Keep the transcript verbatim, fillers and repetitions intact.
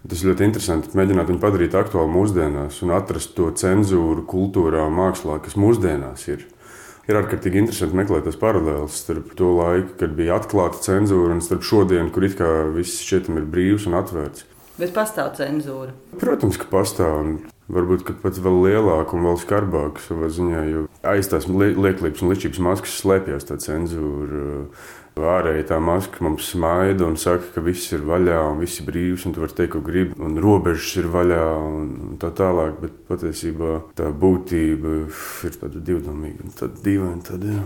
Tas ir ļoti interesanti mēģināt viņu padarīt aktuālu mūsdienās un atrast to cenzūru kultūrā un mākslā, kas mūsdienās ir. Ir ārkārtīgi interesanti meklēt tās paralēles starp to laiku, kad bija atklāta cenzūra, un starp šodienu, kur it kā viss šķietam ir brīvs un atvērts. Bet pastāv cenzūra? Protams, ka pastāv. Un varbūt pat vēl lielāka un vēl skarbāka savā ziņā, jo aiz tās lieklības un ličības maskas slēpjas tā cenzūra. Ārēji tā maska mums smaida un saka, ka viss ir vaļā un viss ir brīvs, un tu vari teikt, ko gribi, un robežas ir vaļā un tā tālāk, bet patiesībā tā būtība ir tāda divdomīga un tāda dīvaina. Tāda, jā.